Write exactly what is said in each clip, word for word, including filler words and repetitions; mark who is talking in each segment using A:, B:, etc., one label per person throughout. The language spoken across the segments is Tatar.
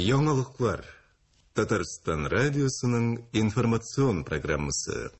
A: Яңалыклар. Татарстан радиосының информацион программасы.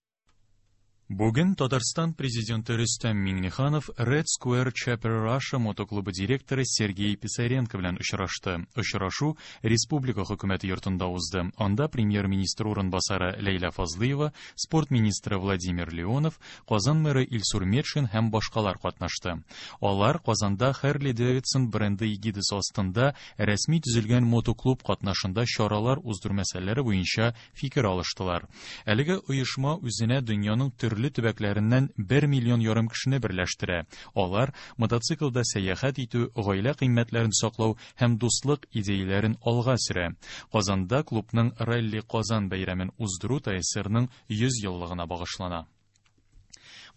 B: Бүген Татарстан президенты Рөстәм Миңнеханов Red Square Chapter Russia мотоклубы директоры Сергей Писаренко белән очрашты. Очрашу Республика хөкүмәте йортында узды. Анда премьер-министр урынбасары Ләйлә Фазлыева, спорт министры Владимир Леонов, Казан мэры Илсур Метшин һәм башкалар катнашты. Алар Казанда Harley Davidson бренды эгидасы астында рәсми төзелгән мотоклуб катнашында чаралар уздыру мәсьәләләре буенча фикер алыштылар. Әлеге оешма үзенә дөньяның төрле төбәкләреннән бер миллион ярым кешене берләштерә. Алар мотоциклда сәяхәт итү, гаилә кыйммәтләрен саклау һәм дуслык идеяләрен алга сөрә. Казанда клубның Ралли Казан бәйрәмен уздыру ТСРның йөз еллыгына багышлана.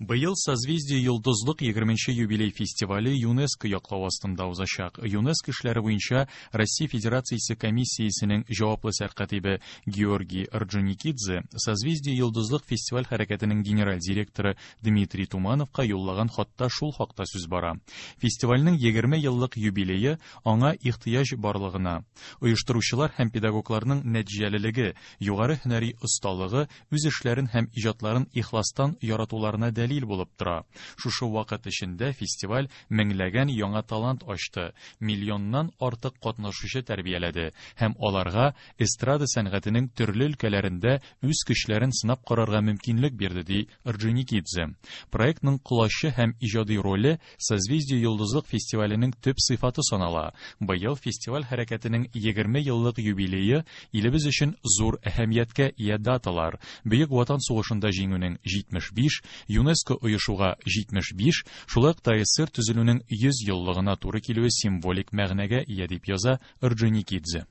B: Быел Созвездие Йолдызлык егерменче юбилей фестивале ЮНЕСКО яклау астында узачак. ЮНЕСКО эшләре буенча Россия Федерациясе комиссиясенең җаваплы сәркатибе Георгий Орджоникидзе Созвездие Йолдызлык фестиваль хәрәкәтенең генераль директоры Дмитрий Тумановка юллаган хатта шул хакта сүз бара. Фестивальнең егерме еллык юбилее аңа ихтыяҗ барлыгына, оештыручылар һәм педагогларның нәтиҗәлелеге, югары һөнәри осталыгы, үз эшләрен һәм иҗатларын ихластан яратуларына дәлил булып тора. Шушы вакыт эчендә фестиваль меңләгән яңа талант ачты, миллионнан артык катнашучы тәрбияләде һәм аларга эстрада сәнгатенең төрле өлкәләрендә үз көчләрен сынап карарга мөмкинлек бирде, ди Орджоникидзе. Проектның колачы һәм иҗади роле Созвездие Йолдызлык фестиваленең төп сыйфаты санала. Быел фестиваль хәрәкәтенең егерме еллык юбилее илебез өчен зур әһәмияткә ия даталар. Бөек Ватан сугышында җиңүнең җитмеш биш, ЮНЕСКО оешуга җитмеш биш, шулай ук ТСР төзелүнең йөз еллыгына туры килүе символик мәгънәгә ия, дип яза Орджоникидзе.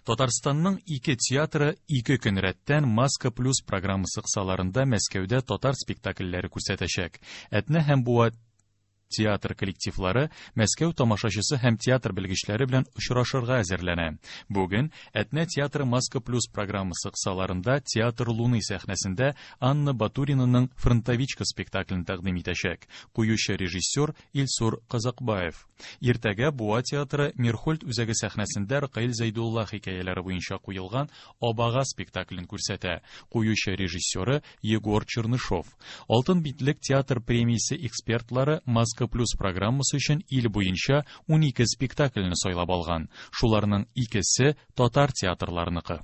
B: Татарстанның ике театры ике көн рәттән Маска Плюс программасы кысаларында Мәскәүдә татар спектакльләре күрсәтәчәк. Әтнә һәм Буа театр коллективлары Мәскәү тамашачысы һәм театр белгечләре белән очрашырга әзерләнә. Бүген Әтнә театры Маска Плюс программасы кысаларында Театр Луны сәхнәсендә Анна Батуринаның Фронтовичка спектаклен тәкъдим итәчәк. Куючы режиссер Илсур Казакбаев. Иртәгә Буа театры Мирхольд үзәге сәхнәсендә Ркаил Зәйдулла хикәяләре буенча куелган Абага спектаклен күрсәтә. Куючы режиссеры Егор Чернышов. Алтын битлек театр премиясе экспертлары Маска Плюс программасы өчен ил буенча унике спектакльне сайлап алган. Шуларның икесе татар театрларыныкы.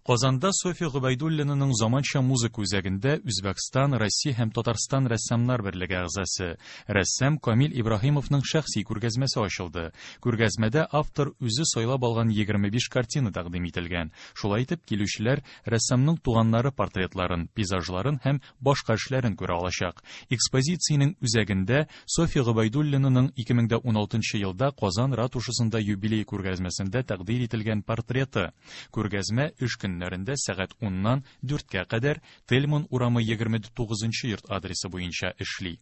B: Казанда Софья Гобәйдуллинаның заманча музыка үзәгендә Үзбәкстан, Россия һәм Татарстан рәссамнар берлеге әгъзасы рәссам Камил Ибраһимовның шәхси күргәзмәсе ачылды. Күргәзмәдә автор үзе сайлап алган егерме биш картина тәкъдим ителгән. Шулай итеп, килүчеләр рәссамның туганнары портретларын, пейзажларын һәм башка эшләрен күрә алачак. Экспозициянең үзәгендә Софья Гобәйдуллинаның ике мең дә уналтынчы елда Казан ратушасында юбилей күргәзмәсендә тәкъдир ителгән портреты. Күргәзмә өч көн көннәрендә сәгать уннан дүрткә кадәр Тельман урамы егерме тугызынчы йорт адресы буенча эшли.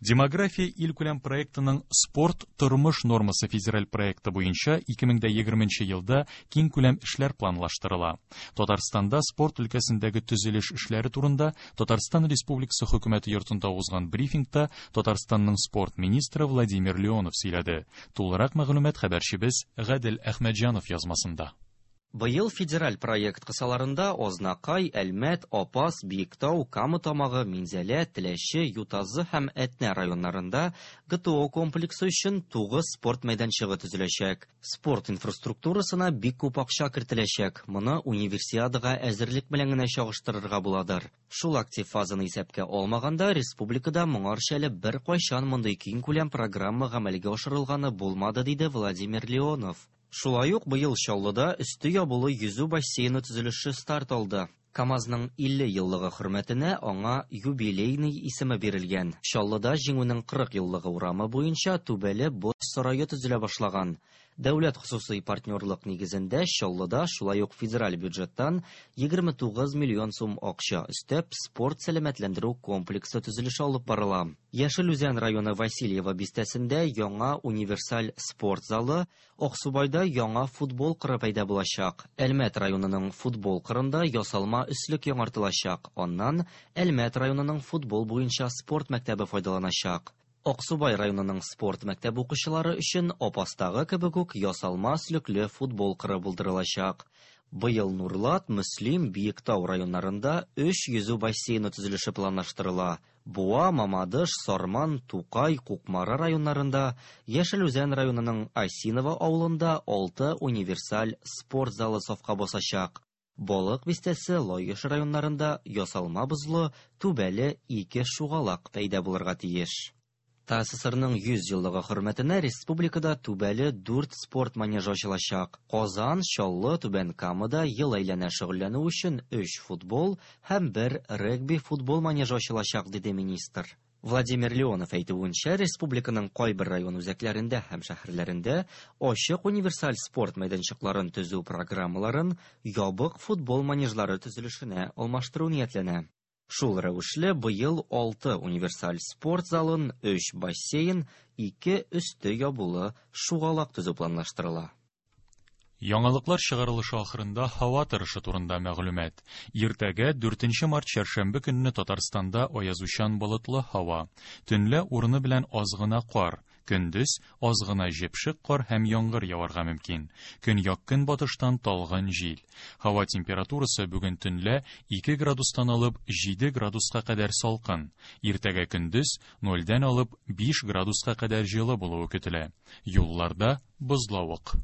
B: Демография илкүләм проектының Спорт тормыш нормасы федераль проекты буенча ике мең дә егерменче елда киңкүләм эшләр планлаштырыла. Татарстанда спорт өлкәсендәге төзелеш эшләре турында Татарстан Республикасы хөкүмәте йортында узган брифингта Татарстанның спорт министры Владимир Леонов сөйләде. Тулырак мәгълүмат хәбәрчебез Гадел Әхмәтҗанов язмасында.
C: Быел федераль проект кысаларында Ознакай, Әлмәт, Апас, Биектау, Кама Тамагы, Минзәлә, Теләче, Ютазы һәм Әтнә районнарында ГТО комплексы өчен тугыз спорт мәйданчыгы төзеләчәк. Спорт инфраструктурасына бик күп акча кертеләчәк. Моны универсиадага әзерлек белән генә чагыштырырга буладыр. Шул актив фазаны исәпкә алмаганда, республикада моңарча әле беркайчан мондый киңкүләм программа гамәлгә ашырылганы булмады, диде Владимир Леонов. Шулай ук быел Чаллыда өсте ябулы йөзү бассейны төзелеше старт алды. КАМАЗның илле еллыгы хөрмәтенә аңа юбилейный исеме бирелгән. Чаллыда Җиңүнең кырык еллыгы урамы буенча түбәле боз сарае төзелә башлаган. Дәүләт хосусый партнерлык нигезендә Чаллыда шулай ук федераль бюджеттан егерме тугыз миллион сум акча өстәп спорт сәламәтләндерү комплексы төзелеше алып барыла. Яшел Үзән районы Васильево бистәсендә яңа универсаль спорт залы, Аксубайда яңа футбол кыры пәйда булачак. Әлмәт районының футбол кырында ясалма өслек яңартылачак. Аннан Әлмәт районының футбол буенча спорт мәктәбе файдаланачак. Аксубай районының спорт мәктәбе укучылары өчен Апастагы кебек үк ясалма өслекле футбол кыры булдырылачак. Быел Нурлат, Мөслим, Биектау районнарында өч йөзү бассейны төзелеше планлаштырыла. Буа, Мамадыш, Сарман, Тукай, Кукмара районнарында, Яшел Үзән районының Осиново авылында алты универсаль спорт залы сафка басачак. Балык Бистәсе, Лаеш районнарында ясалма бозлы, түбәле ике шугалак пәйда булырга тиеш. ТАССРның йөз еллыгы хөрмәтенә республикада түбәле дүрт спорт манежы ачылачак. Казан, Чаллы, Түбән Камада ел әйләнә шөгыльләнү өчен өч футбол һәм бер регби-футбол манежы ачылачак, диде министр. Владимир Леонов әйтүенчә, республиканың кайбер район үзәкләрендә һәм шәһәрләрендә ачык универсаль спорт мәйданчыкларын төзү программаларын ябык футбол манежлары төзелешенә алмаштыру ниятләнә. Шул рәвешле быел алты универсаль спорт залын, өч бассейн, ике өсте ябулы шугалак төзү планлаштырыла.
B: Яңалыклар чыгарылышы ахырында һава торышы турында мәгълүмат. Иртәгә дүртенче март чәршәмбе көнне Татарстанда аязучан болытлы һава. Төнлә урыны белән аз гына кар, көндез аз гына җепшек кар һәм яңгыр яварга мөмкин. Көньяк көнбатыштан талгын җил. Һава температурасы бүген төнлә ике градустан алып җиде градуска кадәр салкын. Иртәгә көндез нольдән алып биш градуска кадәр җылы булуы көтелә. Юлларда бозлавык.